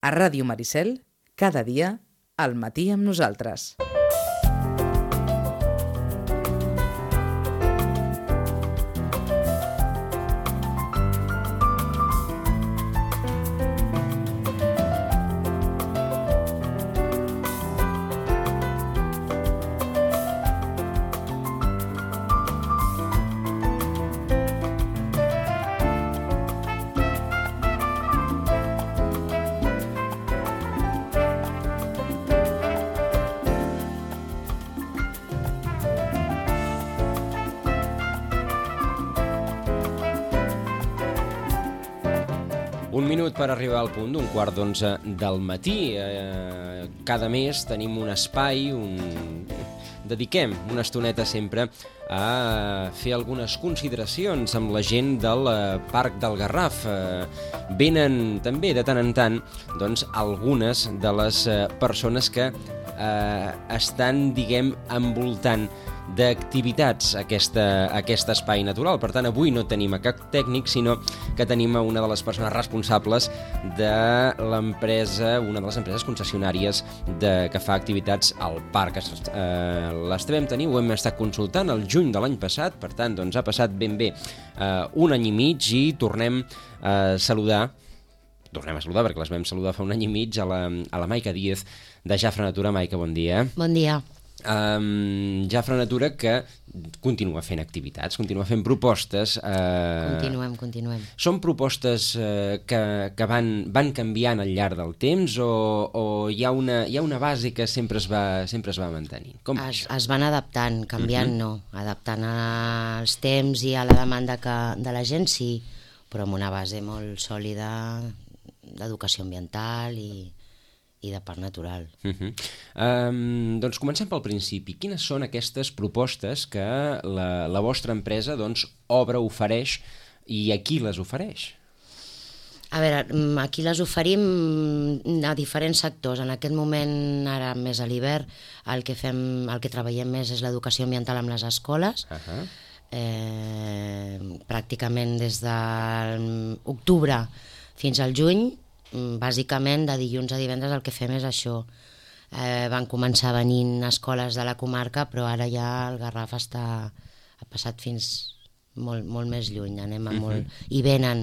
A Ràdio Maricel, cada dia, al matí amb nosaltres. Un minut per arribar al punt d'un 10:15 del matí. Cada mes tenim un espai, dediquem una estoneta sempre a fer algunes consideracions amb la gent del Parc del Garraf. Venen també de tant en tant algunes de les persones que estan, envoltant d'activitats aquest espai natural. Per tant, avui no tenim a cap tècnic, sinó que tenim a una de les persones responsables de l'empresa, una de les empreses concessionàries que fa activitats al parc. Les vam tenir, ho hem estat consultant el juny de l'any passat, per tant, ha passat ben bé un any i mig i tornem a saludar perquè les vam saludar fa un any i mig a la Maica Díez de Jafra Natura. Maica, bon dia. Bon dia. Jafra Natura, que continua fent activitats, continua fent propostes. Continuem. Són propostes que van canviant al llarg del temps o hi ha una base que sempre es va mantenint? Com es van adaptant, canviant no, adaptant als temps i a la demanda de la gent, sí, però amb una base molt sòlida d'educació ambiental i de parc natural. Doncs comencem pel principi. Quines són aquestes propostes que la vostra empresa obre, ofereix, i a qui les ofereix? A veure, aquí les oferim a diferents sectors. En aquest moment, ara més a l'hivern, el que treballem més és l'educació ambiental amb les escoles. Pràcticament des d'octubre fins al juny, bàsicament de dilluns a divendres el que fem és això. Van començar venint escoles de la comarca, però ara ja el Garraf ha passat fins molt més lluny. I venen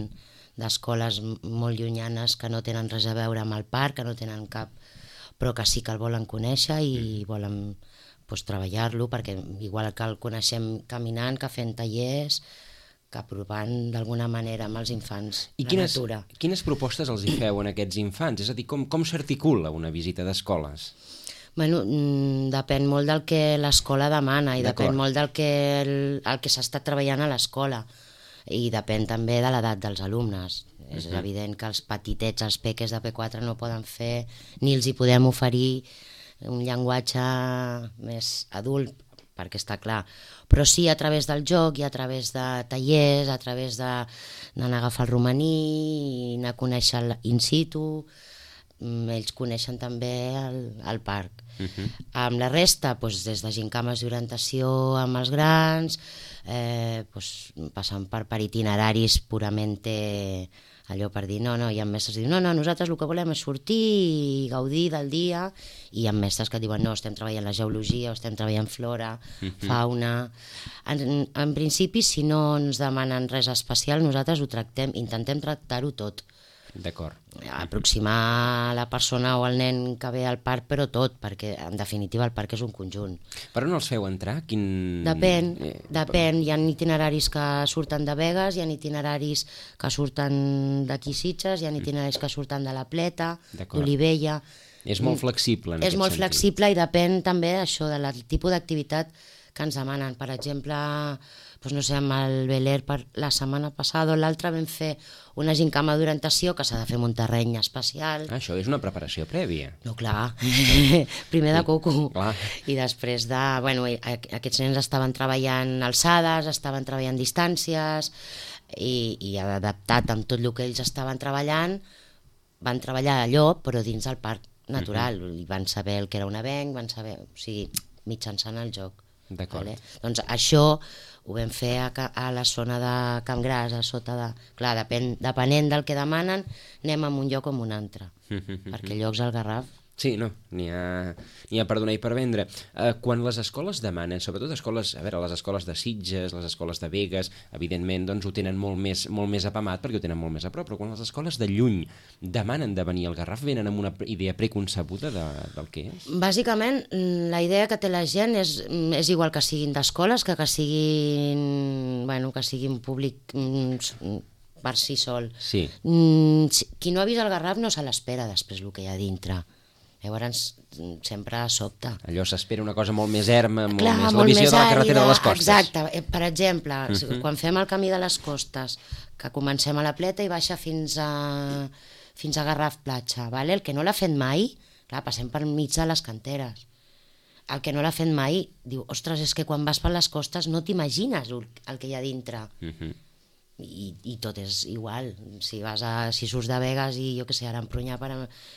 d'escoles molt llunyanes que no tenen res a veure amb el parc, que no tenen cap, però que sí que el volen conèixer i volen treballar-lo, perquè igual que el coneixem caminant, que fent tallers, que aprovant d'alguna manera amb els infants la natura. Quines propostes els hi feu a aquests infants? És a dir, com s'articula una visita d'escoles? Depèn molt del que l'escola demana i depèn molt del que s'ha estat treballant a l'escola i depèn també de l'edat dels alumnes. És evident que els petitets, els peques de P4 no poden fer, ni els hi podem oferir un llenguatge més adult, perquè està clar, però sí a través del joc i a través de tallers, a través d'anar a agafar el romaní, anar a conèixer in situ, ells coneixen també el parc. Amb la resta, des de gincames d'orientació amb els grans, passant per itineraris purament allò per dir, no, hi ha mestres que diuen, no, nosaltres el que volem és sortir i gaudir del dia, i hi ha mestres que diuen, no, estem treballant la geologia, o estem treballant flora, fauna. En principi, si no ens demanen res especial, nosaltres ho intentem tractar-ho tot. D'acord. Aproximar la persona o el nen que ve al parc, però tot, perquè en definitiva el parc és un conjunt. Per on els feu entrar? Depèn. Hi ha itineraris que surten de Begues, hi ha itineraris que surten d'aquí Sitges, hi ha itineraris que surten de la Pleta, d'Olivella. És molt flexible en aquest sentit. És molt flexible i depèn també d'això, del tipus d'activitat que ens demanen. Per exemple, amb el Beler la setmana passada o l'altra vam fer una gincama d'orientació que s'ha de fer en un terreny especial. Això és una preparació prèvia. No, clar. Primer de coco. I després aquests nens estaven treballant alçades, estaven treballant distàncies i adaptat amb tot el que ells estaven treballant, van treballar allò, però dins del parc natural. I van saber el que era un avenc, van saber, mitjançant el joc. D'acord. Vale? Doncs això ho vam fer a la zona de Camp Gras, a sota de... Clar, depenent del que demanen, anem a un lloc o a un altre, perquè llocs al Garraf... Sí, no, n'hi ha per donar i per vendre. Quan les escoles demanen, sobretot escoles, a veure, les escoles de Sitges, les escoles de Begues, evidentment doncs ho tenen molt més apamat perquè ho tenen molt més a prop, però quan les escoles de lluny demanen de venir al Garraf, venen amb una idea preconcebuda del que és? Bàsicament, la idea que té la gent és igual que siguin d'escoles, que siguin públic per si sol. Sí. Qui no ha vist el Garraf no se l'espera després el que hi ha dintre. Llavors sempre sobta. Allò s'espera una cosa molt més erma, Clar, molt més molt la visió més de la carretera de les costes. Exacte. Per exemple, quan fem el camí de les costes, que comencem a la Pleta i baixa fins a Garraf Platja, vale? El que no l'ha fet mai, clar, passem per mig de les canteres. El que no l'ha fet mai diu, ostres, és que quan vas per les costes no t'imagines el que hi ha dintre. I tot és igual. Si surts de Begues i jo què sé, ara Empronyà, per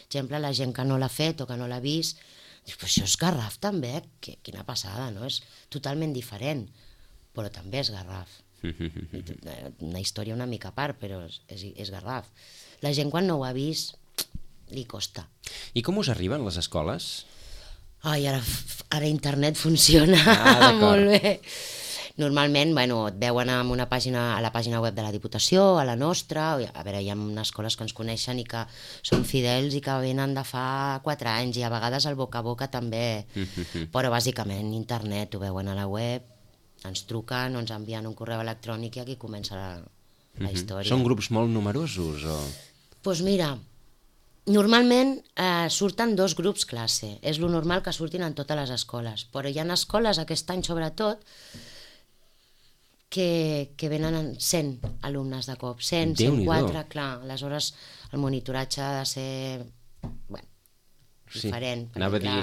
exemple, la gent que no l'ha fet o que no l'ha vist, dius, però això és Garraf també, quina passada, no? És totalment diferent, però també és Garraf. Una història una mica a part, però és Garraf. La gent quan no ho ha vist li costa. I com us arriben les escoles? Ai, ara internet funciona molt bé. Normalment, et veuen a la pàgina web de la Diputació, a la nostra, a veure, hi ha unes escoles que ens coneixen i que són fidels i que venen de fa 4 anys i a vegades el boca a boca també, però bàsicament internet, ho veuen a la web, ens truquen o ens envien un correu electrònic i aquí comença la història. Són grups molt numerosos? Doncs mira, normalment surten 2 grups classe, és lo normal que surtin en totes les escoles, però hi ha escoles aquest any sobretot que venen 100 alumnes de cop, 100, 104, clar, aleshores el monitoratge ha de ser diferent, perquè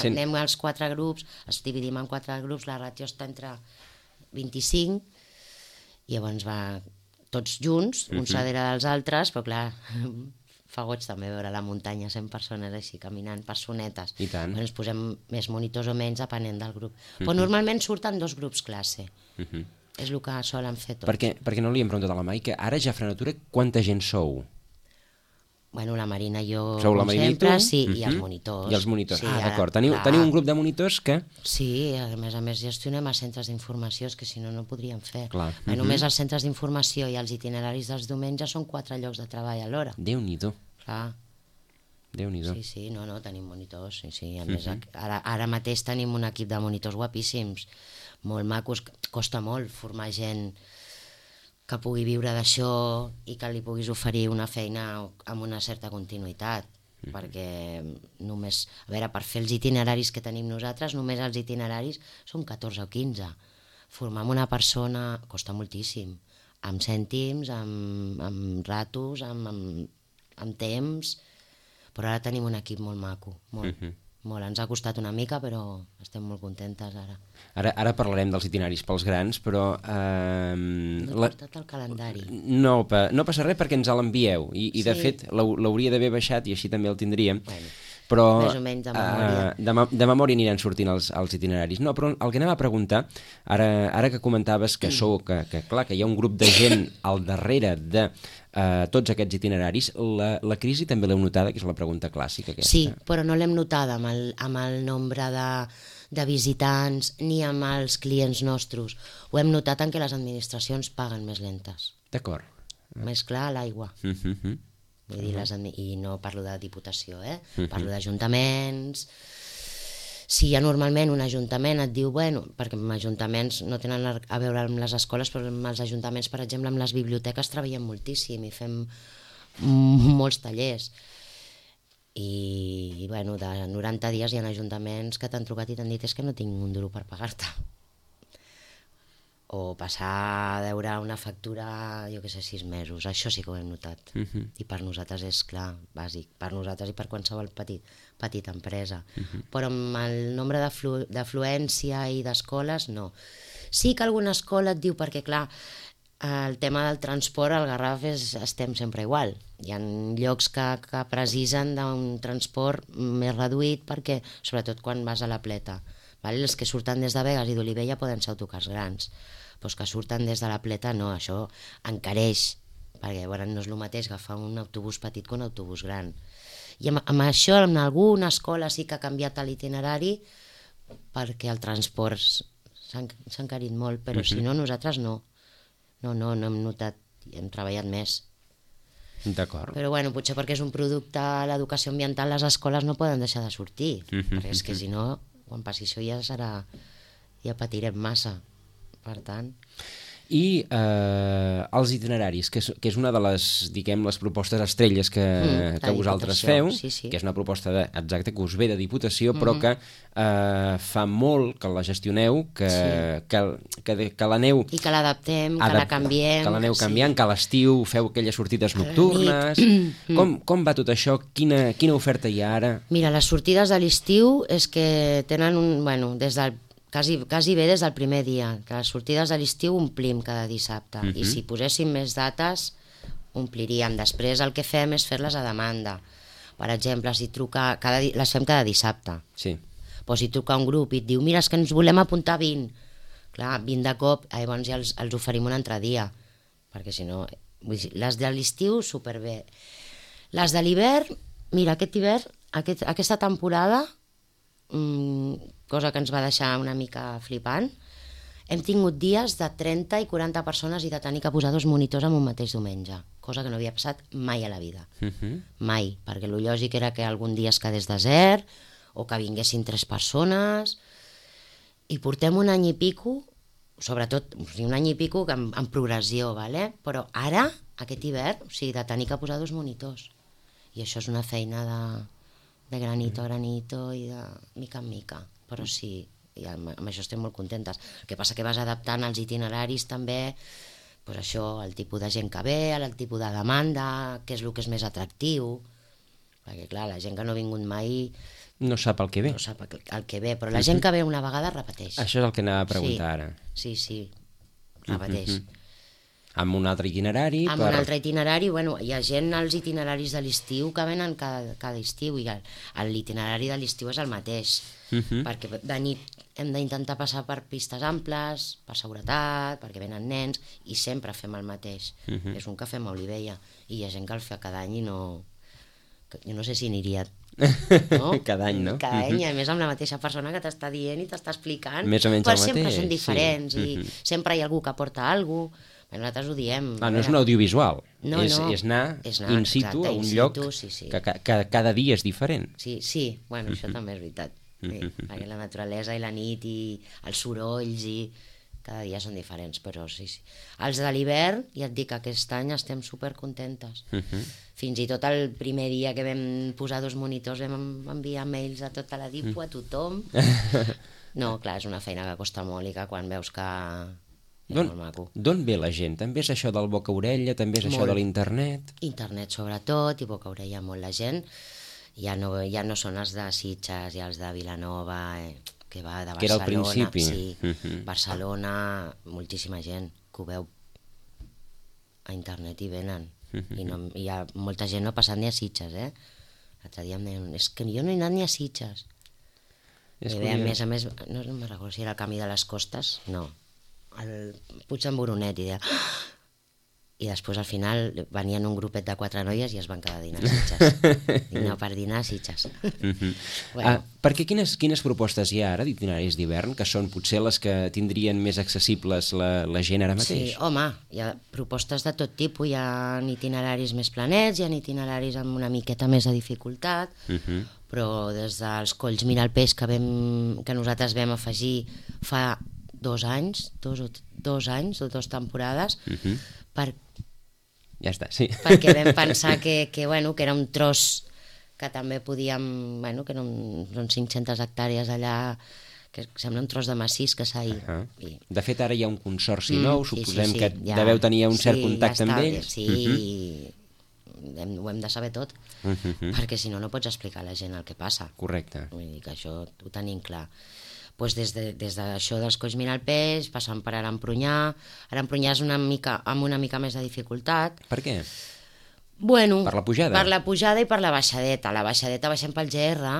anem als 4 grups, els dividim en 4 grups, la ràtio està entre 25, i llavors va tots junts, uns darrere dels altres, però clar, fa goig també veure la muntanya, 100 persones així caminant, personetes. I tant. Ens posem més monitors o menys depenent del grup. Però normalment surten 2 grups classe. És el que solen fer tots. Perquè no li hem preguntat a la Mai, que ara ja a Frenatura quanta gent sou? Bueno, la Marina i jo, sou la Marina sempre, i tu? Sí, i els monitors. I els monitors, sí, d'acord. Teniu un grup de monitors que... Sí, a més gestionem els centres d'informació, que si no, no ho podríem fer. Clar. Només els centres d'informació i els itineraris dels diumenges són 4 llocs de treball alhora. Déu-n'hi-do. Clar. Déu-n'hi-do. Sí, no, tenim monitors. Sí. A més, ara mateix tenim un equip de monitors guapíssims, molt macos. Costa molt formar gent que pugui viure d'això i que li puguis oferir una feina amb una certa continuïtat, perquè només, a veure, per fer els itineraris que tenim nosaltres, només els itineraris són 14 o 15. Formar una persona costa moltíssim, amb cèntims, amb ratos, amb temps, però ara tenim un equip molt maco, molt. Molt, ens ha costat una mica, però estem molt contentes ara. Ara parlarem dels itineraris pels grans, però... No he portat el calendari. No passa res perquè ens l'envieu, i de fet l'hauria d'haver baixat i així també el tindríem. Però més o menys de memòria. De memòria aniran sortint els itineraris. No, però el que anem a preguntar, ara que comentaves que hi ha un grup de gent al darrere de tots aquests itineraris, la crisi també l'heu notada, que és la pregunta clàssica aquesta. Sí, però no l'hem notada amb el nombre de visitants ni amb els clients nostres. Ho hem notat en què les administracions paguen més lentes. D'acord. Més clar, l'aigua. Vull dir, i no parlo de Diputació, parlo d'ajuntaments. Si ja normalment un ajuntament et diu, perquè els ajuntaments no tenen a veure amb les escoles, però amb els ajuntaments, per exemple, amb les biblioteques treballem moltíssim i fem molts tallers. I, de 90 dies hi ha ajuntaments que t'han trucat i t'han dit és que no tinc un duro per pagar-te. O passar a veure una factura, jo què sé, 6 mesos. Això sí que ho hem notat. I per nosaltres és, clar, bàsic. Per nosaltres i per qualsevol petita empresa. Però amb el nombre d'afluència i d'escoles, no. Sí que alguna escola et diu, perquè, clar, el tema del transport al Garraf estem sempre igual. Hi ha llocs que precisen d'un transport més reduït, perquè, sobretot quan vas a la Pleta, Vale? Els que surten des de Begues i d'Olivella poden ser autocars grans, però els que surten des de la Pleta no, això encareix, perquè bueno, no és el mateix agafar un autobús petit que un autobús gran. I amb això en alguna escola sí que ha canviat l'itinerari perquè el transport s'ha encarit molt, però si no nosaltres no hem notat, hem treballat més. D'acord. Però bueno, potser perquè és un producte, l'educació ambiental, les escoles no poden deixar de sortir, perquè és que si no, quan passi això ja patirem massa, per tant... I els itineraris, que és una de les, diguem, les propostes estrelles que vosaltres feu, sí. que és una proposta exacte que us ve de Diputació, però que fa molt que la gestioneu, que l'aneu... I que l'adaptem, que la canviem... Que l'aneu canviant, que a l'estiu feu aquelles sortides nocturnes... Com va tot això? Quina oferta hi ha ara? Mira, les sortides de l'estiu és que tenen des del quasi bé des del primer dia, que les sortides de l'estiu omplim cada dissabte, i si poséssim més dates ompliríem. Després el que fem és fer-les a demanda. Per exemple, si truca, les fem cada dissabte. Sí. Però si truca un grup i et diu, mira, és que ens volem apuntar 20, clar, 20 de cop, llavors ja els oferim un altre dia, perquè si no... Les de l'estiu, superbé. Les de l'hivern, mira, aquest hivern, aquesta temporada... cosa que ens va deixar una mica flipant, hem tingut dies de 30 i 40 persones i de tenir que posar 2 monitors en un mateix diumenge, cosa que no havia passat mai a la vida. Mai, perquè el lògic era que algun dia es quedés desert o que vinguessin 3 persones, i portem un any i pico, sobretot un any i pico en progressió, ¿vale? Però ara, aquest hivern, de tenir que posar 2 monitors, i això és una feina de granito a granito i de mica en mica, però sí, i amb això estem molt contentes. El que passa que vas adaptant els itineraris també, doncs això, el tipus de gent que ve, el tipus de demanda, què és el que és més atractiu, perquè clar, la gent que no ha vingut mai no sap el que ve. No sap el que ve, però la gent que ve una vegada repeteix. Això és el que anava a preguntar ara. Sí, repeteix. Amb un altre itinerari? Amb un altre itinerari, hi ha gent als itineraris de l'estiu que venen cada estiu, i l'itinerari de l'estiu és el mateix, perquè de nit hem d'intentar passar per pistes amples, per seguretat, perquè venen nens, i sempre fem el mateix. És un que fem a Olivella, i hi ha gent que el fa cada any i no... Jo no sé si aniria... No? Cada any, no? Cada any, a més amb la mateixa persona que t'està dient i t'està explicant, més o menys el mateix, sempre són diferents, i sempre hi ha algú que porta alguna cosa. Nosaltres ho diem. No és un audiovisual, no, és anar in situ, a un lloc que cada dia és diferent. Sí, això també és veritat. Perquè la naturalesa i la nit i els sorolls i cada dia són diferents, però sí. Els de l'hivern, ja et dic que aquest any estem supercontentes. Fins i tot el primer dia que vam posar 2 monitors vam enviar mails a tota la DIPU, a tothom. No, clar, és una feina que costa molt i que quan veus que... D'on ve la gent? També és això del boca-orella, també és això de l'internet? Internet sobretot, i boca-orella molt la gent. Ja no són els de Sitges i els de Vilanova, que va de Barcelona. Que era al principi. Sí, Barcelona, moltíssima gent que ho veu a internet i venen. I hi ha molta gent no ha passat ni a Sitges, L'altre dia em deien, és que jo no he anat ni a Sitges. A més, no me'n recordo si era el Camí de les Costes, no. El Puig d'en Boronet, i després al final venien un grupet de 4 noies i es van quedar a dinar a Sitges. No, per dinar a Sitges. Perquè quines propostes hi ha ara d'itineraris d'hivern, que són potser les que tindrien més accessibles la gent ara mateix? Sí, home, hi ha propostes de tot tipus, hi ha itineraris més planets, hi ha itineraris amb una miqueta més de dificultat, però des dels Colls Mira el Peix que nosaltres vam afegir fa 2 anys, 2 anys o 2 temporades, ja està, sí. Perquè vam pensar que era un tros que també podíem, que són 500 hectàrees allà, que sembla un tros de massís que s'ha ido. De fet, ara hi ha un consorci nou, suposem que deveu tenir un cert contacte amb ells. Sí, ho hem de saber tot, perquè si no, no pots explicar a la gent el que passa. Correcte. Vull dir que això ho tenim clar. Pues des d'això dels Colls Mira el Peix, passant per Arampronyà. Arampronyà és amb una mica més de dificultat. Per què? Bueno, per la pujada? Per la pujada i per la baixadeta. La baixadeta baixem pel GR,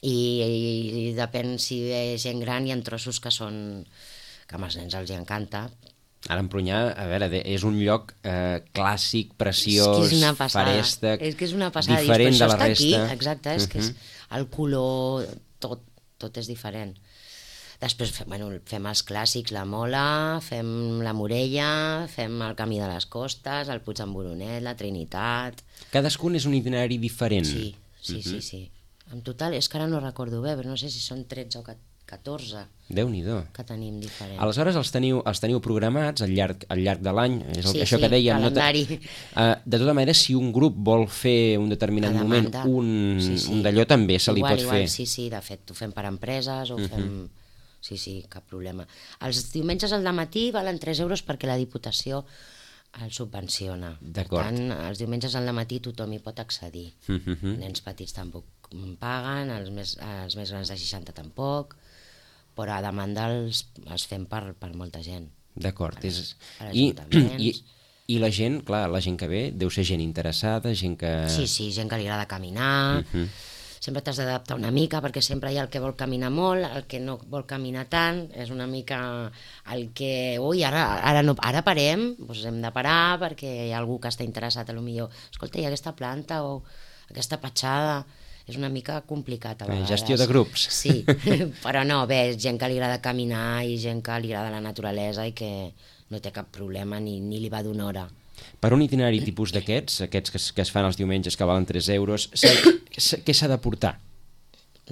I depèn si ve gent gran, hi ha trossos que són... que amb els nens els hi encanta. Ara Empunyà, a veure, és un lloc clàssic, preciós, és una passada. farèstec, És que és una passada. diferent de la resta. Aquí, exacte, és que és el color, tot és diferent. Després fem els clàssics, la Mola, fem la Morella, fem el Camí de les Costes, el Puig d'en Boronet, la Trinitat... Cadascun és un itinerari diferent. Sí. En total, és que ara no recordo bé, però no sé si són 13 o 14 Déu-n'hi-do. que tenim diferents. Aleshores els teniu programats al llarg de l'any, és això Sí, que dèiem. calendari. De tota manera, si un grup vol fer un determinat moment, un d'allò també se li pot fer. Sí, de fet, ho fem per empreses, ho fem... Sí, cap problema. Els diumenges al matí valen 3 euros perquè la Diputació el subvenciona. D'acord. Per tant, els diumenges al matí tothom hi pot accedir. Nens petits tampoc paguen, els més grans de 60 tampoc, però a demanda els fem per molta gent. D'acord. ajuntaments. I la gent, clar, la gent que ve deu ser gent interessada, gent que... Sí, gent que li agrada caminar... Sempre t'has d'adaptar una mica, perquè sempre hi ha el que vol caminar molt, el que no vol caminar tant, és una mica el que... Ui, ara parem, doncs hem de parar perquè hi ha algú que està interessat, potser, escolta, hi ha aquesta planta o aquesta petjada... És una mica complicat a vegades. Gestió de grups. Sí, però no, bé, gent que li agrada caminar i gent que li agrada la naturalesa i que no té cap problema ni li va d'una hora. Per un itinerari tipus d'aquests que es fan els diumenges que valen 3 euros, què s'ha de portar?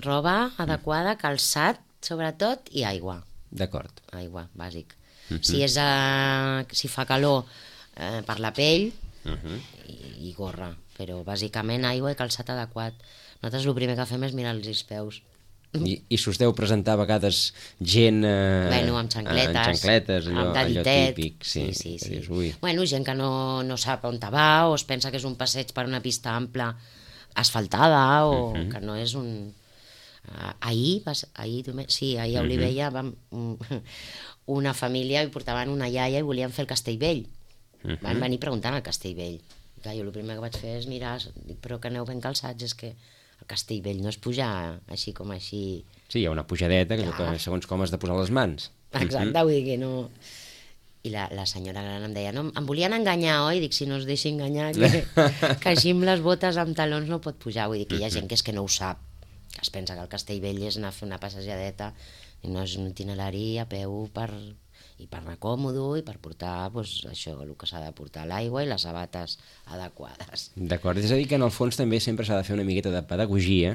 Roba adequada, calçat, sobretot, i aigua. D'acord. Aigua, bàsic. Si fa calor, per la pell i gorra, però bàsicament aigua i calçat adequat. Nosaltres el primer que fem és mirar els peus. I s'us deu presentar a vegades gent amb xancletes, allò típic. Sí. Dius, gent que no sap on va o es pensa que és un passeig per una pista ampla asfaltada o que no és un... Ahir a Olivella una família i portaven una iaia i volien fer el Castellvell. Van venir preguntant al Castellvell. Jo el primer que vaig fer és mirar, però que aneu ben calçats, és que el Castellvell no és pujar així com així... Sí, hi ha una pujadeta que segons com has de posar les mans. Exacte, vull dir que no... I la senyora gran em deia, no, em volien enganyar, oi? Dic, si no es deixi enganyar, que així amb les botes amb talons no pot pujar. Vull dir que hi ha gent que és que no ho sap, que es pensa que el Castellvell és anar a fer una passejadeta i no és un itinerari a peu per anar còmodo i per portar això, el que s'ha de portar, l'aigua i les sabates adequades. D'acord, és a dir que en el fons també sempre s'ha de fer una miqueta de pedagogia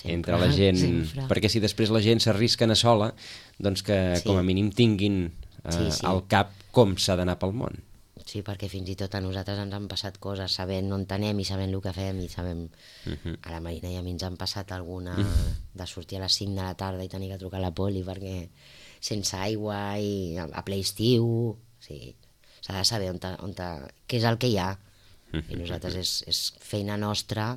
entre la gent, perquè si després la gent s'arrisca a anar sola, doncs que com a mínim tinguin al cap com s'ha d'anar pel món. Sí, perquè fins i tot a nosaltres ens han passat coses sabent on anem i sabent el que fem i sabem... A la Marina i a mi ens han passat alguna de sortir a les 5 de la tarda i tenir que trucar a la poli perquè sense aigua i a ple estiu, sí, s'ha de saber què és el que hi ha. I nosaltres és feina nostra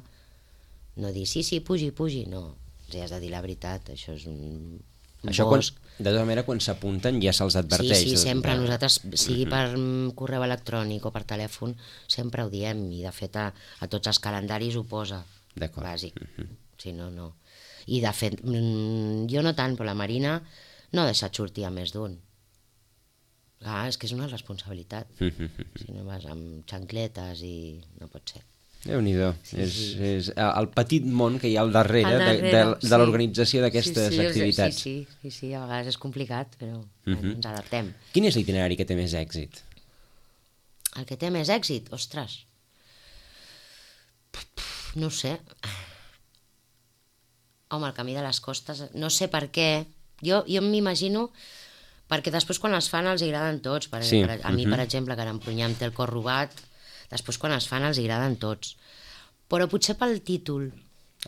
no dir sí, pugi, no. Has de dir la veritat, això és un bosc. De tota manera, quan s'apunten ja se'ls adverteix. Sí, sempre. Nosaltres, sigui per correu electrònic o per telèfon, sempre ho diem, i de fet a tots els calendaris ho posa, bàsic. Si no, no. I de fet, jo no tant, però la Marina no ha deixat sortir a més d'un. És que és una responsabilitat. Si no vas amb xancletes i no pot ser. Déu-n'hi-do. És el petit món que hi ha al darrere de l'organització d'aquestes activitats. Sí, a vegades és complicat, però ens adaptem. Quin és l'itinerari que té més èxit? El que té més èxit? Ostres! No sé. Home, el Camí de les Costes, no sé per què. Jo m'imagino, perquè després quan es fan els agraden tots. A mi, per exemple, que Empunyà em té el cor robat, després quan es fan els agraden tots. Però potser pel títol.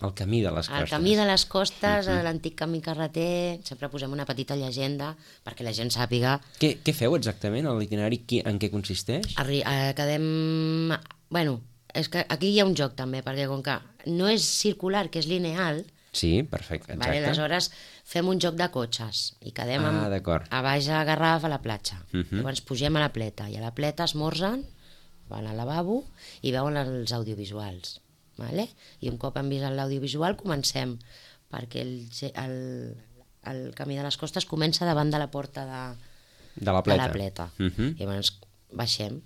El Camí de les Costes. El Camí de les Costes, l'antic camí carreter, sempre posem una petita llegenda perquè la gent sàpiga... Què feu exactament, l'itinerari, en què consisteix? Quedem... Bueno, és que aquí hi ha un joc també, perquè com que no és circular, que és lineal... Sí, perfecte, exacte. Aleshores fem un joc de cotxes i quedem a baix a Garraf a la platja. Llavors pugem a la pleta i a la pleta esmorzen, van al lavabo i veuen els audiovisuals. I un cop han vist l'audiovisual comencem perquè el Camí de les Costes comença davant de la porta de la Pleta. I llavors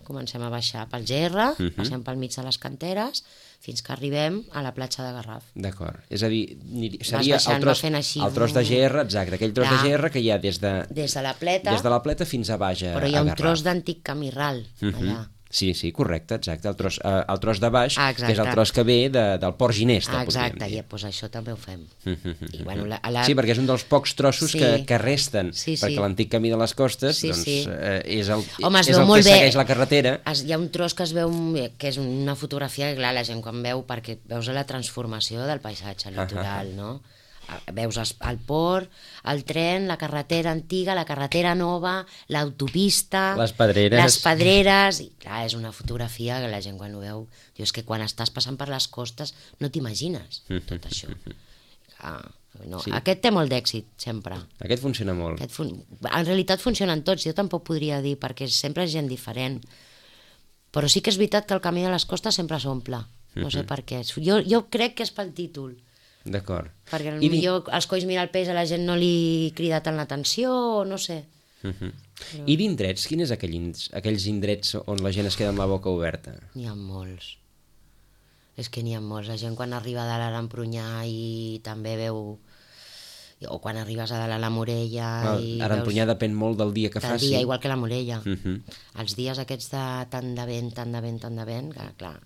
comencem a baixar pel Gerra, passem pel mig de les canteres, fins que arribem a la platja de Garraf. D'acord. És a dir, seria el tros de gerra, exacte, aquell tros de gerra que hi ha des de la Pleta fins a baix a Garraf. Però hi ha un tros d'antic camí ral, allà. Sí, correcte, exacte, el tros de baix, que és el tros que ve del Port Ginesta, podríem dir. Exacte, doncs això també ho fem. Sí, perquè és un dels pocs trossos que resten, perquè l'antic Camí de les Costes és el que segueix la carretera. Hi ha un tros que es veu, que és una fotografia que, clar, la gent quan veu, perquè veus la transformació del paisatge litoral, no? Veus el port, el tren, la carretera antiga, la carretera nova, l'autopista, les pedreres, i clar, és una fotografia que la gent quan ho veu diu, és que quan estàs passant per les costes no t'imagines tot això. Aquest té molt d'èxit sempre. Aquest funciona molt. En realitat funcionen tots, jo tampoc podria dir, perquè sempre és gent diferent, però sí que és veritat que el Camí de les Costes sempre s'omple, no sé per què. Jo crec que és pel títol. D'acord. Perquè potser els Colls mira el peix a la gent no li crida tant l'atenció, o no sé. I d'indrets, quins aquells indrets on la gent es queda amb la boca oberta? N'hi ha molts. És que n'hi ha molts. La gent quan arriba a dalt a l'Empronyà i també veu... O quan arribes a dalt a la Morella... A l'Empronyà depèn molt del dia que faci. Del dia, igual que la Morella. Els dies aquests de tant de vent, clar,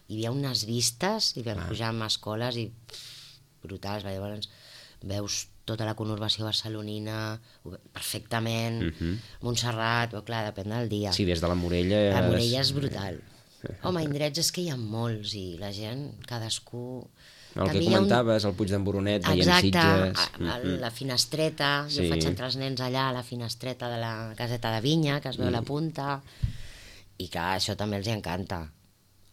hi havia unes vistes i vam pujar amb escoles i... brutals, llavors veus tota la conurbació barcelonina perfectament, Montserrat, però clar, depèn del dia. Sí, des de la Morella... La Morella és brutal. Home, indrets és que hi ha molts i la gent, cadascú... El que comentaves, el Puig d'en Boronet, veient Sitges... Exacte, la Finestreta, jo faig entrar els nens allà a la Finestreta de la caseta de Vinya, que es veu la punta, i clar, això també els encanta.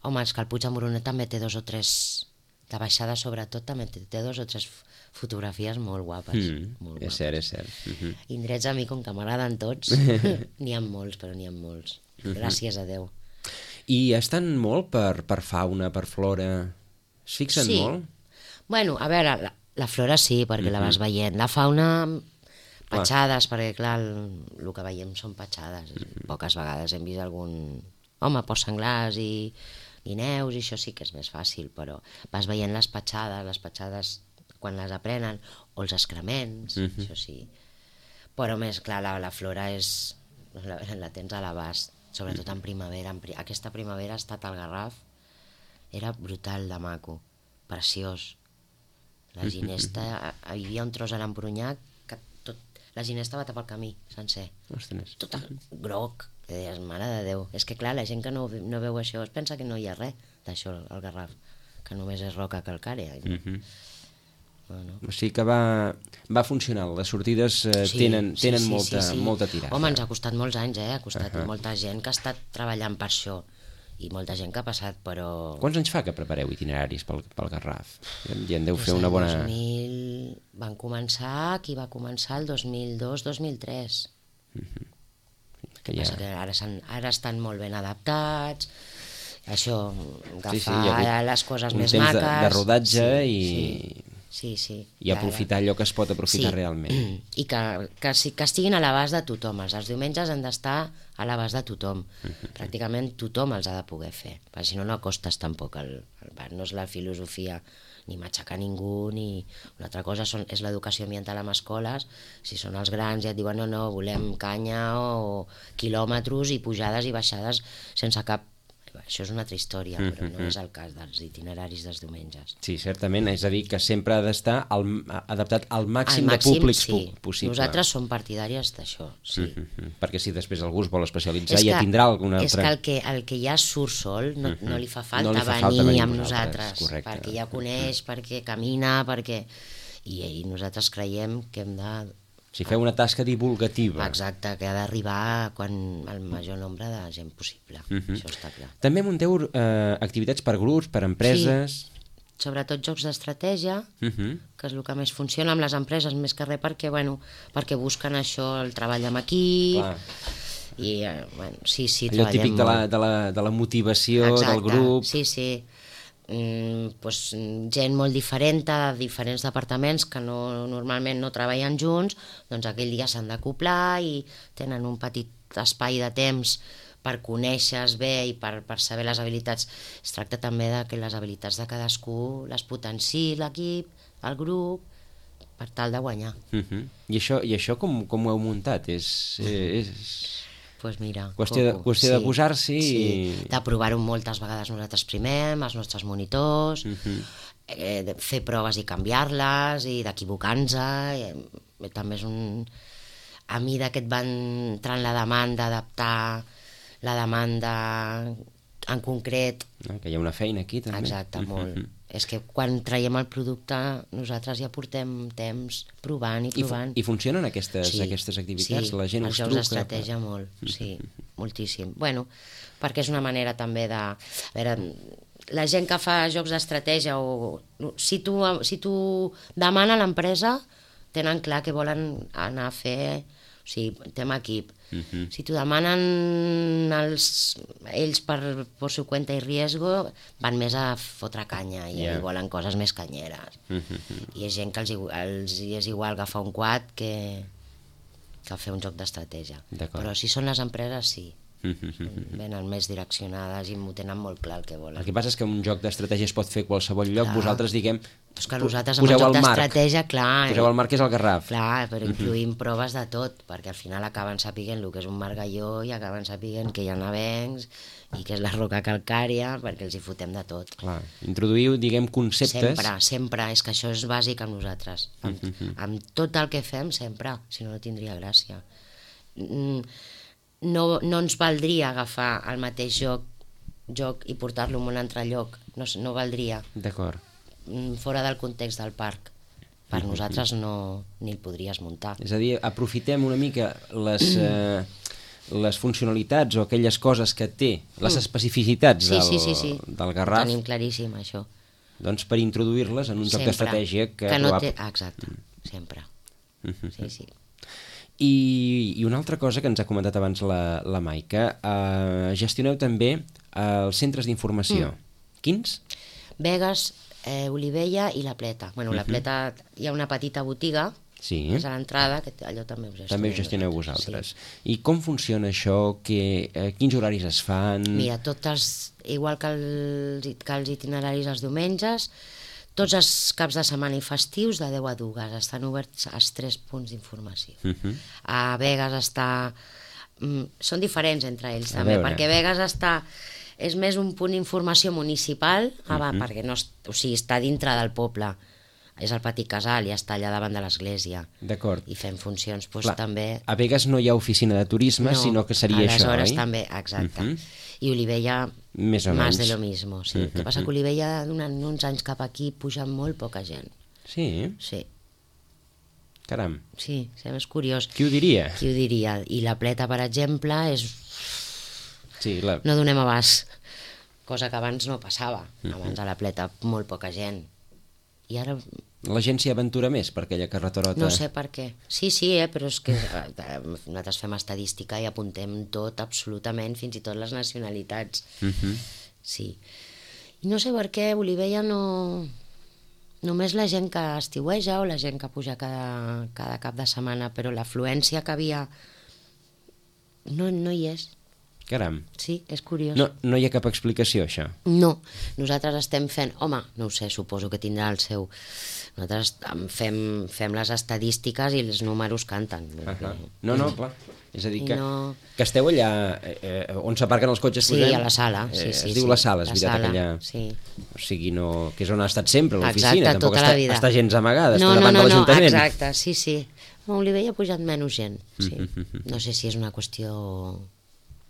Home, és que el Puig d'en Boronet també té 2 o 3... de baixada sobretot també té 2 o 3 fotografies molt guapes. És cert. Indrets a mi, com que m'agraden tots, n'hi ha molts, però n'hi ha molts. Gràcies a Déu. I estan molt per fauna, per flora? Es fixen molt? Bueno, a veure, la flora sí, perquè la vas veient. La fauna, petjades, perquè clar, el que veiem són petjades. Poques vegades hem vist algun... Home, porcs senglars i guineus, i això sí que és més fàcil, però vas veient les petjades quan les aprenen, o els excrements, això sí. Però més, clar, la flora la tens a l'abast, sobretot en primavera. Aquesta primavera ha estat al Garraf, era brutal de maco, preciós. La ginesta, hi havia un tros a l'Empronyà que la ginesta va tapar el camí sencer. Ostres. Tot groc. Que deies, mare de Déu, és que clar, la gent que no veu això es pensa que no hi ha res d'això al Garraf, que només és roca calcària. O sigui que va funcionant, les sortides tenen molta tirada. Home, ens ha costat molts anys, ha costat molta gent que ha estat treballant per això i molta gent que ha passat, però... Quants anys fa que prepareu itineraris pel Garraf? Ja en deu fer una bona... Van començar, qui va començar el 2002-2003. Que passa que ara estan molt ben adaptats, això, agafar les coses més maques... Un temps de rodatge i... Sí. I aprofitar allò que es pot aprofitar realment. I que estiguin a l'abast de tothom. Els diumenges han d'estar a l'abast de tothom. Pràcticament tothom els ha de poder fer, perquè si no, no acostes tampoc el bar. No és la filosofia ni matxacar ningú, ni... Una altra cosa és l'educació ambiental en escoles. Si són els grans i et diuen no, volem canya o quilòmetres i pujades i baixades sense cap... Això és una altra història, però no és el cas dels itineraris dels diumenges. Sí, certament, és a dir, que sempre ha d'estar adaptat al màxim de públics possible. Nosaltres som partidàries d'això, sí. Perquè si després algú es vol especialitzar ja tindrà alguna altra... És que el que ja surt sol no li fa falta venir amb nosaltres, perquè ja coneix, perquè camina, perquè... I nosaltres creiem que hem de... Si feu una tasca divulgativa. Exacte, que ha d'arribar al major nombre de gent possible. Això està clar. També munteu activitats per grups, per empreses... Sí, sobretot jocs d'estratègia, que és el que més funciona amb les empreses, més que res perquè busquen això, el treball amb equip... I, sí, allò típic de la motivació del grup... Sí. pues, gent molt diferent de diferents departaments que normalment no treballen junts, doncs aquell dia s'han d'acoplar i tenen un petit espai de temps per conèixer-se bé i per saber les habilitats. Es tracta també de que les habilitats de cadascú les potenciï l'equip, el grup, per tal de guanyar. I això com ho heu muntat? Pues mira, qüestió de posar-s'hi i... de provar-ho moltes vegades nosaltres primer, amb els nostres monitors, de fer proves i canviar-les, i d'equivocar-nos. També és un... A mesura que et va entrant la demanda, adaptar la demanda en concret... Que hi ha una feina aquí, també. Exacte, molt. És que quan traiem el producte nosaltres ja portem temps provant i provant. I funcionen aquestes activitats? Sí, la gent us truca? Els jocs d'estratègia molt, sí, moltíssim. Bueno, perquè és una manera també de... A veure, la gent que fa jocs d'estratègia o... Si tu demana a l'empresa, tenen clar que volen anar a fer... O sigui, tema equip. Si t'ho demanen ells per su cuenta i riesgo, van més a fotre canya i volen coses més canyeres. I és gent que els és igual agafar un quad que fer un joc d'estratègia. Però si són les empreses, sí. Venen més direccionades i m'ho tenen molt clar el que volen. El que passa és que un joc d'estratègia es pot fer a qualsevol lloc, vosaltres, diguem, és que nosaltres amb el joc d'estratègia, clar... Poseu el marc que és el Garraf. Clar, però incluïm proves de tot, perquè al final acaben sapiguent el que és un margalló i acaben sapiguent que hi ha avencs i que és la roca calcària, perquè els hi fotem de tot. Clar, introduïu, diguem, conceptes... Sempre, és que això és bàsic amb nosaltres. Amb tot el que fem, sempre, si no, no tindria gràcia. No ens valdria agafar el mateix joc i portar-lo en un altre lloc, no valdria. D'acord. Fora del context del parc. Per nosaltres ni el podries muntar. És a dir, aprofitem una mica les funcionalitats o aquelles coses que té, les especificitats del Garraf. Tenim claríssim això. Doncs per introduir-les en un joc d'estratègia que no té... Exacte, sempre. Sí. I una altra cosa que ens ha comentat abans la Maica, gestioneu també els centres d'informació. Quins? Begues, Olivella i La Pleta. Bueno, La Pleta hi ha una petita botiga, és a l'entrada, que allò també ho gestioneu. També ho gestioneu vosaltres. I com funciona això? Quins horaris es fan? Mira, igual que els itineraris els diumenges, tots els caps de setmana i festius de 10 a 2 estan oberts als 3 punts d'informació. A Begues són diferents entre ells també, perquè Begues és més un punt d'informació municipal, perquè està dintre del poble, és el Petit Casal i està allà davant de l'església. D'acord. I fem funcions també... A Begues no hi ha oficina de turisme, sinó que seria això, oi? Aleshores també, exacte. I Olivella, més de lo mismo. El que passa que Olivella, durant uns anys cap aquí, puja molt poca gent. Sí? Sí. Caram. Sí, és curiós. Qui ho diria? I La Pleta, per exemple, és... Sí, no donem abast, cosa que abans no passava. Abans a La Pleta molt poca gent. I ara... La gent s'hi aventura més per aquella carreterota? No sé per què. Sí, però és que nosaltres fem estadística i apuntem tot, absolutament, fins i tot les nacionalitats. Sí. I no sé per què Olivella no... Només la gent que estiueja o la gent que puja cada cap de setmana, però l'afluència que havia no hi és. Caram. Sí, és curiós. No hi ha cap explicació, això? No, nosaltres estem fent... Home, no ho sé, suposo que tindrà el seu... Nosaltres fem les estadístiques i els números canten. No, clar. És a dir, que esteu allà on s'aparquen els cotxes. Sí, a la sala. Es diu la sala, és veritat, allà. Sí. O sigui, que és on ha estat sempre, l'oficina. Exacte, tota la vida. Està gens amagada, està davant de l'Ajuntament. Exacte, sí. A Olivella ha pujat menys gent, sí. No sé si és una qüestió...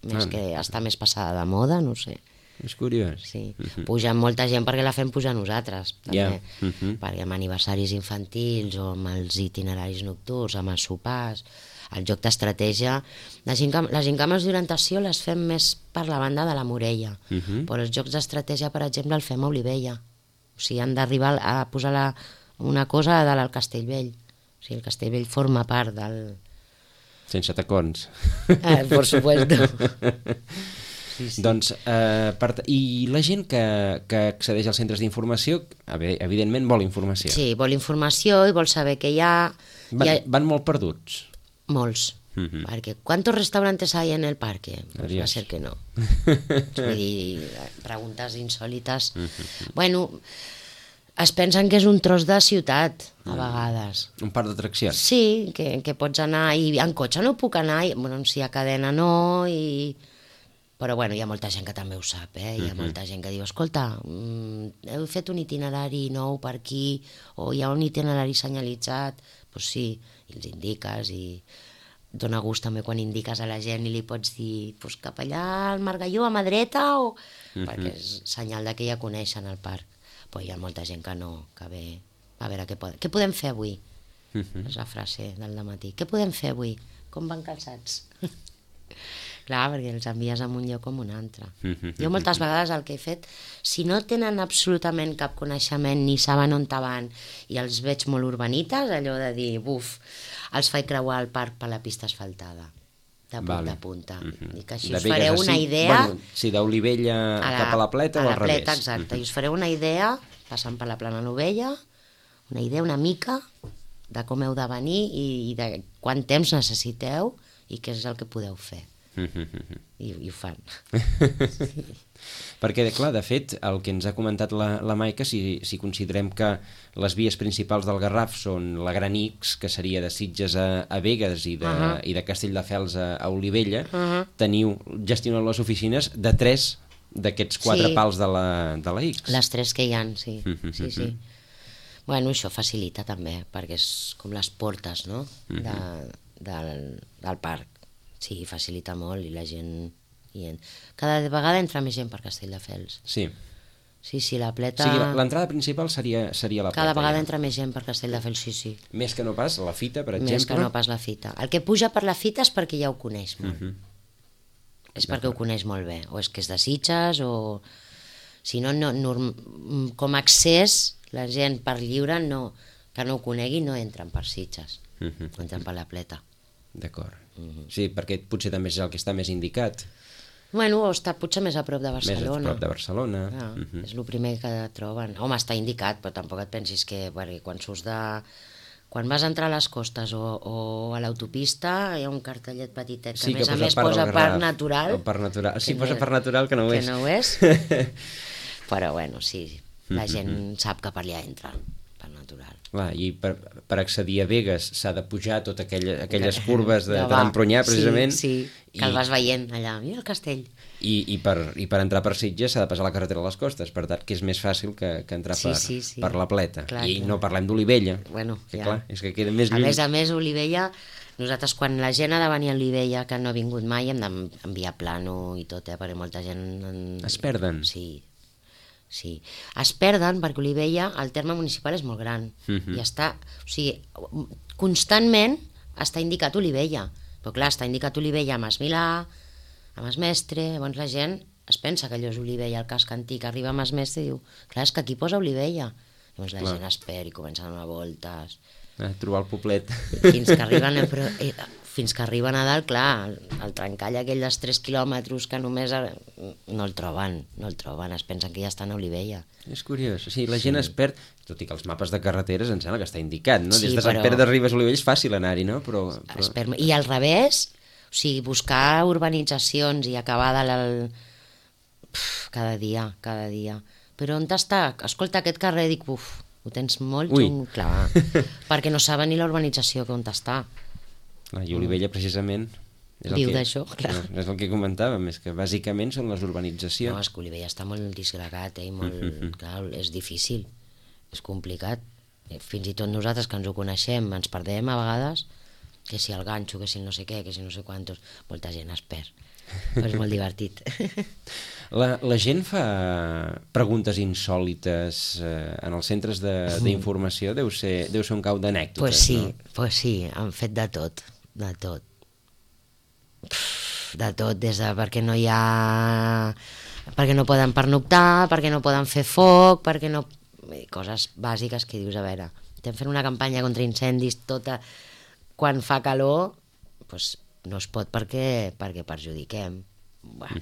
més que està més passada de moda, no sé. És curiós. Sí. Puja molta gent perquè la fem pujar nosaltres, també. Perquè amb aniversaris infantils o amb els itineraris nocturns, amb els sopars, el joc d'estratègia... Les gincames d'orientació les fem més per la banda de la Morella, però els jocs d'estratègia, per exemple, el fem a Olivella. O sigui, han d'arribar a posar una cosa a dalt al Castellvell. O sigui, el Castellvell forma part del... Sense tacons. Por supuesto. Doncs, i la gent que accedeix als centres d'informació, evidentment vol informació. Sí, vol informació i vol saber què hi ha. Van molt perduts. Molts. Perquè ¿cuántos restaurantes hay en el parque? Pues va a ser que no. Vull dir, preguntes insòlites. Bueno, es pensen que és un tros de ciutat, a vegades. Un parc d'atraccions. Sí, que pots anar, i en cotxe no puc anar, bueno, si hi ha cadena no, però bueno, hi ha molta gent que també ho sap, hi ha molta gent que diu, escolta, heu fet un itinerari nou per aquí, o hi ha un itinerari senyalitzat, doncs sí, i els indiques, i dona gust també quan indiques a la gent i li pots dir, doncs cap allà al Margalló, a mà dreta, perquè és senyal de que ja coneixen el parc. Però hi ha molta gent que no, que ve a veure què podem fer avui. És la frase del dematí. Què podem fer avui? Com van calçats? Clar, perquè els envies a un lloc com un altre. Jo moltes vegades el que he fet, si no tenen absolutament cap coneixement ni saben on van i els veig molt urbanites, allò de dir, buf, els faig creuar el parc per la pista asfaltada, de punta a punta. I que així us fareu una idea... Sí, d'Olivella cap a la Pleta o al revés. A la Pleta, exacte. I us fareu una idea, passant per la Plana Novella, una idea una mica de com heu de venir i de quant temps necessiteu i què és el que podeu fer. I ho fan. Perquè, clar, de fet, el que ens ha comentat la Maica, si considerem que les vies principals del Garraf són la Gran X, que seria de Sitges a Begues i de Castelldefels a Olivella, gestioneu les oficines de 3 d'aquests 4 pals de la X. Les 3 que hi ha, sí. Sí. Bueno, això facilita també, perquè és com les portes, no?, del parc. Sí, facilita molt i la gent... Cada vegada entra més gent per Castelldefels. Sí. Sí, la Pleta... O sigui, l'entrada principal seria la Pleta. Cada vegada entra més gent per Castelldefels, sí. Més que no pas la Fita, per exemple? Més que no pas la Fita. El que puja per la Fita és perquè ja ho coneix molt. És perquè ho coneix molt bé. O és que és de Sitges, o... Si no, com a accés, la gent per lliure que no ho conegui no entren per Sitges. Entren per la Pleta. D'acord. Sí, perquè potser també és el que està més indicat. Bueno, o està potser més a prop de Barcelona. Més a prop de Barcelona. És el primer que troben. Home, està indicat, però tampoc et pensis que quan surts de... Quan vas a entrar a les costes o a l'autopista hi ha un cartellet petitet que a més posa parc natural. Parc natural. Sí, posa parc natural que no ho és. Que no ho és. Però bueno, sí, la gent sap que per allà entra. Natural. Clar, i per accedir a Begues s'ha de pujar totes aquelles curves de l'Empronyà, precisament. Sí, que el vas veient allà, mira el castell. I per entrar per Sitges s'ha de passar la carretera a les costes, per tant que és més fàcil que entrar per la Pleta. Clar, no parlem d'Olivella. Bueno, clar, és que queda més lluny. A més, Olivella, nosaltres quan la gent ha de venir a Olivella que no ha vingut mai hem d'enviar plano i tot, perquè molta gent... Es perden. Sí, es perden perquè Olivella, el terme municipal és molt gran i està, o sigui, constantment està indicat Olivella, però clar, està indicat Olivella a Mas Milà, a Mas Mestre, llavors la gent es pensa que allò és Olivella, el casc antic, arriba a Mas Mestre i diu, clar, és que aquí posa Olivella, llavors la gent espera i comença a donar voltes. Trobar el poblet. Fins que arriben a dalt, clar, el trencall aquell dels 3 quilòmetres que només no el troben, es pensen que ja estan a Olivella. És curiós, la gent es perd, tot i que els mapes de carreteres em sembla que està indicat, no? Des de Sant Pere de Ribes a Olivella és fàcil anar-hi, no? I al revés, o sigui, buscar urbanitzacions i acabar cada dia. Però on està? Escolta, aquest carrer, dic, ho tens molt xungo, clar, perquè no saben ni la urbanització on està. I Olivella, precisament, viu d'això, clar. És el que comentàvem, és que bàsicament són les urbanitzacions. No, és que Olivella està molt disgregat, clar, és difícil, és complicat. Fins i tot nosaltres que ens ho coneixem, ens perdem a vegades, que si el ganxo, que si el no sé què, que si no sé quantos, molta gent es perd, però és molt divertit. La gent fa preguntes insòlites en els centres d'informació, deu ser un cau d'anècdotes, no? Pues sí, han fet de tot. De tot, des de perquè no hi ha... perquè no poden pernoctar, perquè no poden fer foc, perquè no... coses bàsiques que dius, a veure, estem fent una campanya contra incendis tota... quan fa calor, doncs no es pot perquè perjudiquem.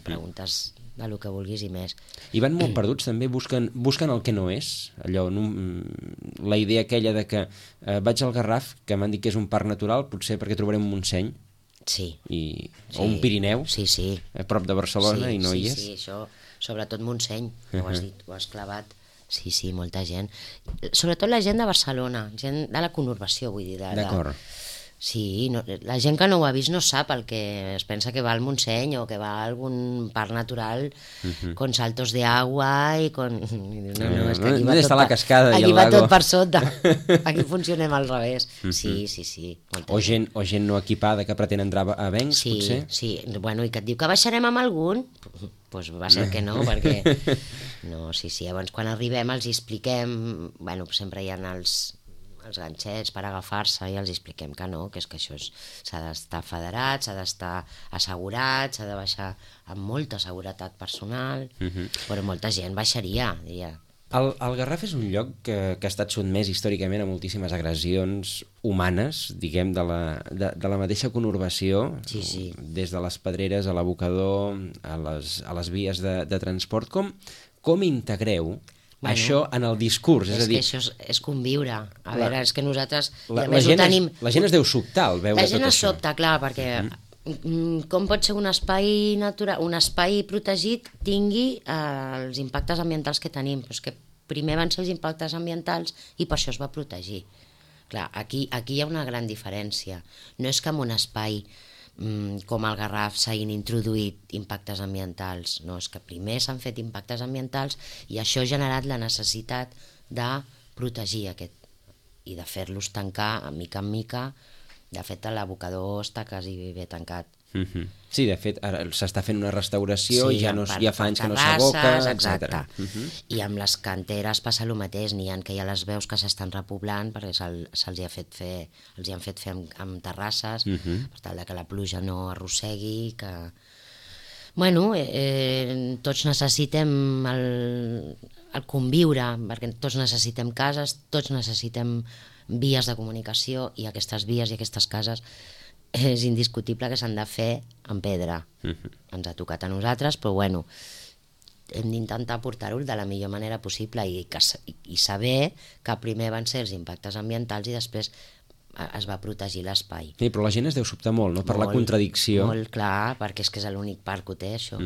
preguntes de lo que vulguis i més. I van molt perduts també, busquen el que no és, allò, la idea aquella de que vaig al Garraf, que m'han dit que és un parc natural, potser perquè trobarem un Montseny, Sí. o un Pirineu, Sí. a prop de Barcelona, i no hi és. Sí, això, sobretot Montseny, ho has dit, ho has clavat. Sí, molta gent. Sobretot la gent de Barcelona, gent de la conurbació, vull dir. D'acord. Sí, la gent que no ho ha vist no sap el que es pensa que va al Montseny o que va a algun parc natural con saltos de agua i con... No, és que aquí va està la cascada i el aquí va lago. tot per sota. Aquí funcionem al revés. Sí. O gent no equipada que pretén entrar a Vencs, potser? Sí, bueno, i que et diu que baixarem amb algun, doncs va ser que no, perquè... No, sí, llavors quan arribem els expliquem, bueno, sempre hi ha els ganxets per agafar-se i els expliquem que no, que és que això s'ha d'estar federat, s'ha d'estar assegurat, s'ha de baixar amb molta seguretat personal, però molta gent baixaria, diria. El Garraf és un lloc que ha estat sotmès històricament a moltíssimes agressions humanes, diguem, de la mateixa conurbació, Sí. des de les pedreres a l'abocador, a les vies de transport. Com integreu això en el discurs? És a dir, que això és conviure. A veure, és que nosaltres... la gent es deu sobtar al veure tot això. La gent es sobta, clar, perquè com pot ser un espai natural, un espai protegit tingui els impactes ambientals que tenim? Però és que primer van ser els impactes ambientals i per això es va protegir. Clar, aquí hi ha una gran diferència. No és que en un espai com el Garraf s'hagin introduït impactes ambientals, no, és que primer s'han fet impactes ambientals i això ha generat la necessitat de protegir aquest i de fer-los tancar mica en mica. De fet, l'abocador està quasi ben tancat. Sí, de fet, ara s'està fent una restauració i ja fa anys que no terrasses, s'aboca, etc. I amb les canteres passa el mateix, n'hi ha que ja les veus que s'estan repoblant perquè els hi han fet fer amb terrasses, per tal que la pluja no arrossegui, que... Bueno, tots necessitem el conviure, perquè tots necessitem cases, tots necessitem vies de comunicació i aquestes vies i aquestes cases és indiscutible que s'han de fer en pedra. Ens ha tocat a nosaltres, però bueno, hem d'intentar portar-ho de la millor manera possible i saber que primer van ser els impactes ambientals i després es va protegir l'espai. Sí, però la gent es deu sobtar molt, no?, per la contradicció. Molt, clar, perquè és que és l'únic parc que ho té, això.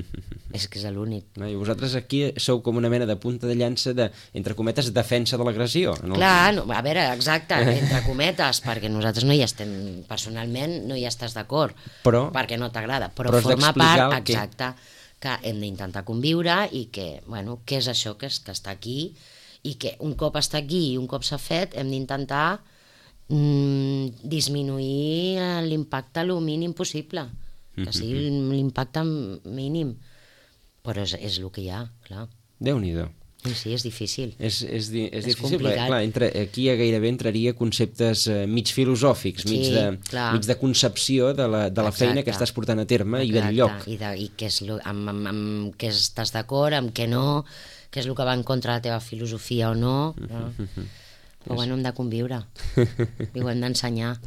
És que és l'únic. I vosaltres aquí sou com una mena de punta de llança de, entre cometes, defensa de l'agressió. Clar, a veure, exacte, entre cometes, perquè nosaltres no hi estem, personalment no hi estàs d'acord, perquè no t'agrada, però forma part, exacte, que hem d'intentar conviure i que, bueno, què és això que està aquí i que un cop està aquí i un cop s'ha fet hem d'intentar disminuir l'impacte el mínim possible, que sigui l'impacte mínim, però és el que hi ha, clar. Déu-n'hi-do. Sí, és difícil. És difícil, perquè clar, aquí gairebé entraria conceptes mig filosòfics, mig de concepció de la feina que estàs portant a terme i del lloc. I amb què estàs d'acord, amb què no, què és el que va en contra de la teva filosofia o no. Però bueno, hem de conviure i ho hem d'ensenyar.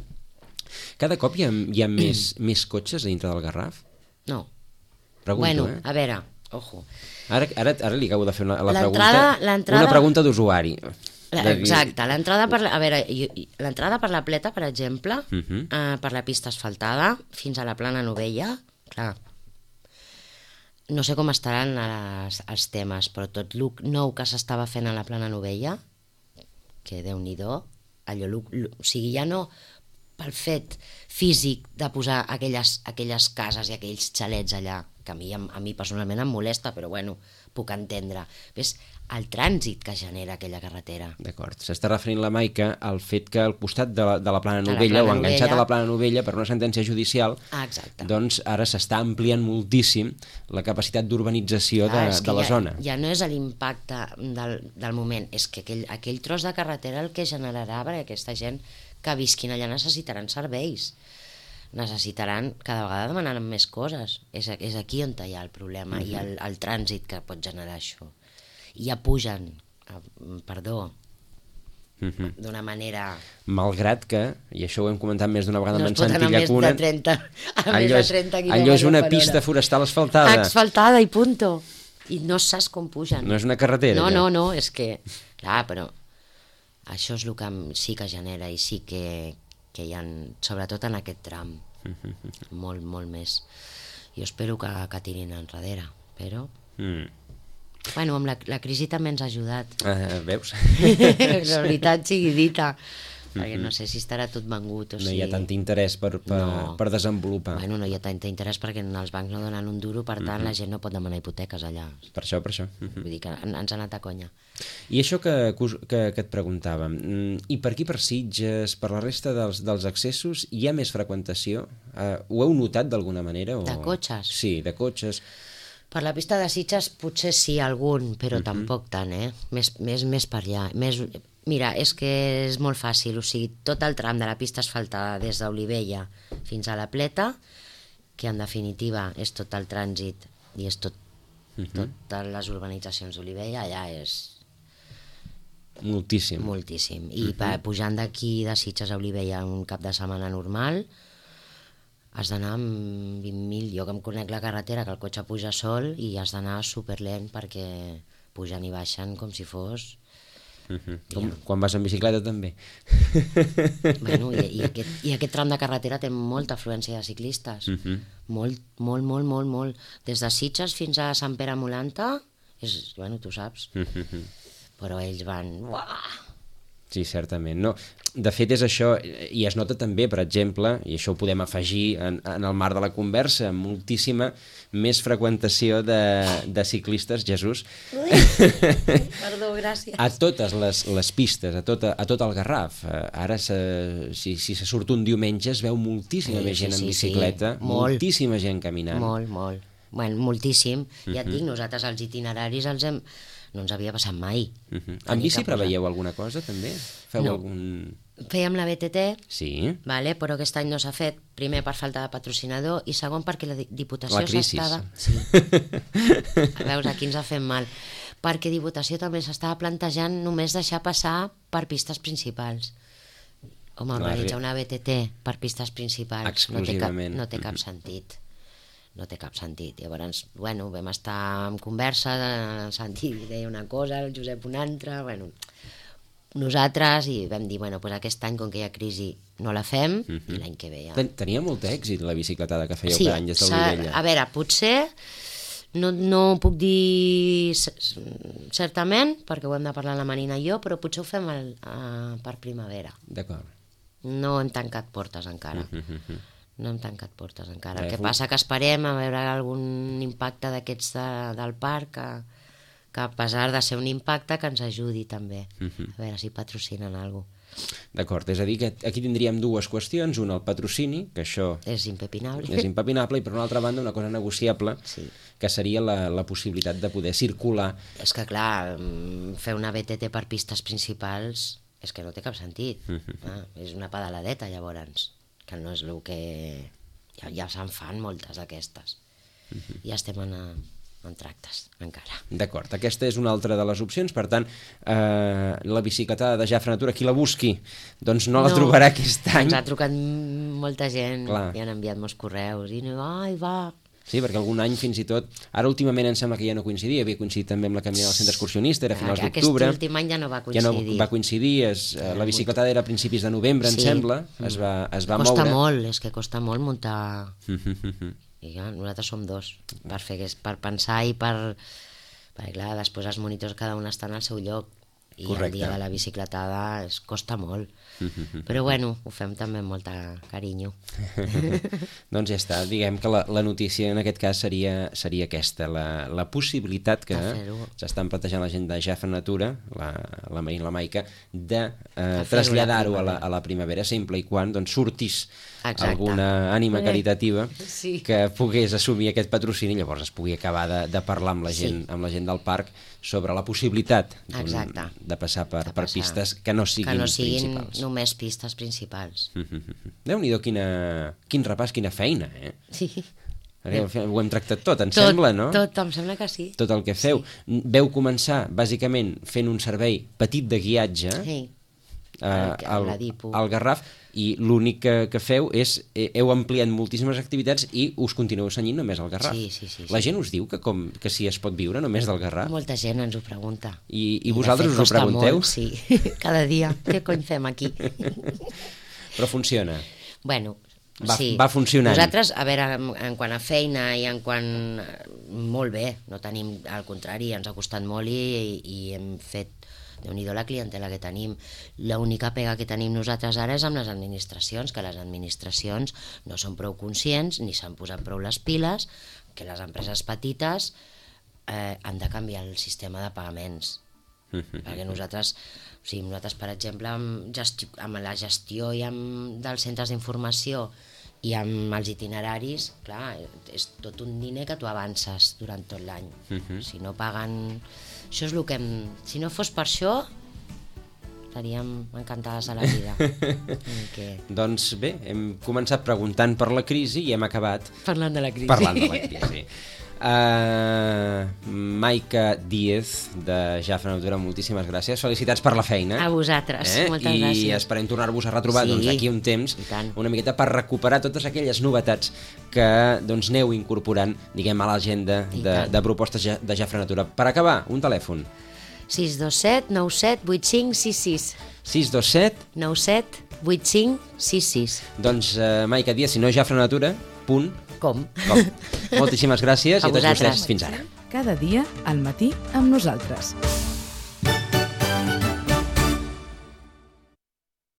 Cada cop hi ha més cotxes a dintre del Garraf? No. Pregunto, bueno, a veure, ojo. Ara li acabo de fer una pregunta d'usuari. Exacte, l'entrada per la Pleta, per exemple, per la pista asfaltada fins a la Plana Novella, clar, no sé com estaran els temes, però tot el nou que s'estava fent a la Plana Novella, que Déu-n'hi-do, o sigui, ja no pel fet físic de posar aquelles cases i aquells xalets allà, que a mi personalment em molesta, però bueno, puc entendre. És el trànsit que genera aquella carretera. D'acord. S'està referint la Maica al fet que al costat de la Plana Novella, o enganxat a la Plana Novella per una sentència judicial, doncs ara s'està ampliant moltíssim la capacitat d'urbanització de la zona. Ja no és l'impacte del moment, és que aquell tros de carretera el que generarà, perquè aquesta gent que visquin allà necessitaran serveis, necessitaran cada vegada demanar més coses. És aquí on hi ha el problema i el trànsit que pot generar això. I ja pugen, perdó, d'una manera... Malgrat que, i això ho hem comentat més d'una vegada No amb es en pot anar Santi Llacuna, a més de 30 allò és una quilòmetres per pista hora. forestal asfaltada. Asfaltada i punto. I no saps com pugen. No és una carretera. No, és que... Clar, però això és el que sí que genera i sí que hi ha, sobretot en aquest tram, molt, molt més. Jo espero que tirin enrere, però... Bueno, amb la crisi també ens ha ajudat. Veus? La veritat sigui dita. Perquè no sé si estarà tot vengut. No hi ha tant interès per desenvolupar. Bueno, no hi ha tant interès perquè els bancs no donen un duro, per tant la gent no pot demanar hipoteques allà. Per això. Vull dir que ens ha anat a conya. I això que et preguntàvem, i per aquí per Sitges, per la resta dels accessos, hi ha més freqüentació? Ho heu notat d'alguna manera? De cotxes? Sí, de cotxes. Per la pista de Sitges potser sí, algun, però tampoc tant, Més per allà. Mira, és que és molt fàcil, o sigui, tot el tram de la pista asfaltada des d'Olivella fins a la Pleta, que en definitiva és tot el trànsit i és totes les urbanitzacions d'Olivella, allà és... Moltíssim. Moltíssim. I pujant d'aquí de Sitges a Olivella un cap de setmana normal, has d'anar amb 20.000, jo que em conec la carretera, que el cotxe puja sol, i has d'anar superlent perquè pugen i baixen com si fos... Quan vas en bicicleta també. Bueno, i aquest tram de carretera té molta afluència de ciclistes. Molt. Des de Sitges fins a Sant Pere Molanta, bueno, tu saps. Però ells van... Uah! Sí, certament. No, de fet és això, i es nota també, per exemple, i això ho podem afegir en el marc de la conversa, moltíssima més freqüentació de ciclistes, Jesús. Perdó, gràcies. A totes les pistes, a tot el Garraf. Ara, si se surt un diumenge, es veu moltíssima més gent en bicicleta, moltíssima gent caminant. Molt. Bueno, moltíssim. Ja et dic, nosaltres els itineraris no ens havia passat mai. En bici preveieu alguna cosa, també? Feu No. algun... Fèiem la BTT, Sí. vale, però aquest any no s'ha fet, primer per falta de patrocinador i segon perquè la Diputació La crisis. s'estava... Sí. Veus, aquí ens ha fet mal. Perquè Diputació també s'estava plantejant només deixar passar per pistes principals. Home, organitzar una BTT per pistes principals Exclusivament. no té cap sentit. No té cap sentit. Llavors, bueno, vam estar en conversa, el Santi deia una cosa, el Josep una altra, bueno, nosaltres, i vam dir, bueno, doncs aquest any, com que hi ha crisi, no la fem, i l'any que ve ja. Tenia molt èxit la bicicletada que fèieu cada any des d'Olivella. A veure, potser no puc dir certament, perquè ho hem de parlar la Marina i jo, però potser ho fem per primavera. D'acord. No hem tancat portes encara. No hem tancat portes encara. El que passa que esperem a veure algun impacte d'aquests del parc que a pesar de ser un impacte que ens ajudi també. A veure si patrocinen alguna cosa. D'acord, és a dir que aquí tindríem dues qüestions, una el patrocini, que això És impepinable. és impepinable, i per una altra banda una cosa negociable, que seria la possibilitat de poder circular. És que clar, fer una BTT per pistes principals és que no té cap sentit. És una pedaladeta llavors, que no és el que... Ja se'n fan moltes d'aquestes. Ja estem en tractes, encara. D'acord, aquesta és una altra de les opcions, per tant, la bicicletada de Jafre Natura, qui la busqui, doncs no la trobarà aquest any. Ens ha trucat molta gent, Clar. i han enviat molts correus, i ai, va... Sí, perquè algun any fins i tot... Ara últimament em sembla que ja no coincidia, havia coincidit també amb la caminada del centre excursionista, era a finals d'octubre. Aquest últim any ja no va coincidir. Ja no va coincidir, la bicicletada era a principis de novembre, em sembla, es va moure. Costa molt, és que costa molt muntar... I clar, nosaltres som dos, per pensar i per... Perquè clar, després els monitors cada un estan al seu lloc, i el dia de la bicicletada costa molt. Però bueno, ho fem també amb molta carinyo. Doncs ja està, diguem que la notícia en aquest cas seria aquesta, la possibilitat que s'estan plantejant la gent de Jafre Natura, la Marina i la Maica, de traslladar-ho a la primavera, sempre i quan doncs, sortís alguna ànima caritativa que pogués assumir aquest patrocini, llavors es pugui acabar de parlar amb la gent del parc sobre la possibilitat de passar per pistes que no siguin principals. Només pistes principals. Déu-n'hi-do quin repàs, quina feina, eh? Sí. Ho hem tractat tot, sembla, no? Tot, em sembla que sí. Tot el que feu. Veu començar, bàsicament, fent un servei petit de guiatge, la DIPU. al Garraf, i l'únic que feu és, heu ampliat moltíssimes activitats i us continueu cenyint només al Garraf. Sí. La gent us diu que si es pot viure només del Garraf? Molta gent ens ho pregunta. I vosaltres us ho pregunteu? Molt, sí, cada dia. Què cony fem aquí? Però funciona. Bueno, sí. Va funcionant. Nosaltres, a veure, en quant a feina i en quant... Molt bé, no tenim, al contrari, ens ha costat molt i hem fet... Déu-n'hi-do la clientela que tenim. L'única pega que tenim nosaltres ara és amb les administracions, que les administracions no són prou conscients ni s'han posat prou les piles, que les empreses petites han de canviar el sistema de pagaments. Perquè nosaltres, per exemple, amb la gestió i dels centres d'informació i amb els itineraris, clar, és tot un diner que tu avances durant tot l'any. Si no paguen... Això és el que si no fos per això, estaríem encantades a la vida. Doncs bé, hem començat preguntant per la crisi i hem acabat... Parlant de la crisi. Parlant de la crisi. Maica Díez, de Jafra Natura, moltíssimes gràcies. Felicitats per la feina. A vosaltres, moltes gràcies. I esperem tornar-vos a retrobar d'aquí un temps, una miqueta per recuperar totes aquelles novetats que aneu incorporant, diguem, a l'agenda de propostes de Jafra Natura. Per acabar, un telèfon. 627 97 85 66. 627 97 85 66. Doncs Maica Díez, si no Jafra Natura, com? Moltíssimes gràcies i a tots vostès. Fins ara. Cada dia al matí amb nosaltres.